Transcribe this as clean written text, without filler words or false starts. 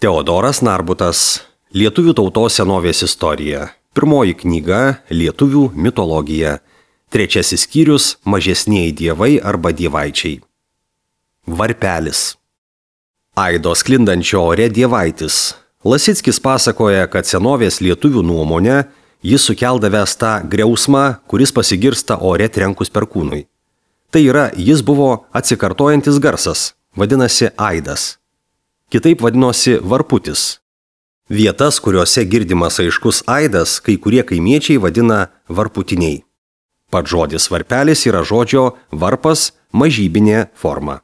Teodoras Narbutas. Lietuvių tautos senovės istorija. Pirmoji knyga Lietuvių mitologija. Trečiasis skyrius Mažesnieji dievai arba dievaičiai. Varpelis. Aido sklindančio ore dievaitis. Lasickis pasakoja, kad senovės lietuvių nuomonę jis sukeldavęs tą griausmą, kuris pasigirsta ore trenkus perkūnui. Tai yra, jis buvo atsikartojantis garsas, vadinasi aidas. Kitaip vadinosi varputis. Vietas, kuriuose girdimas aiškus aidas, kai kurie kaimiečiai vadina varputiniai. Pats žodis varpelis yra žodžio varpas mažybinė forma.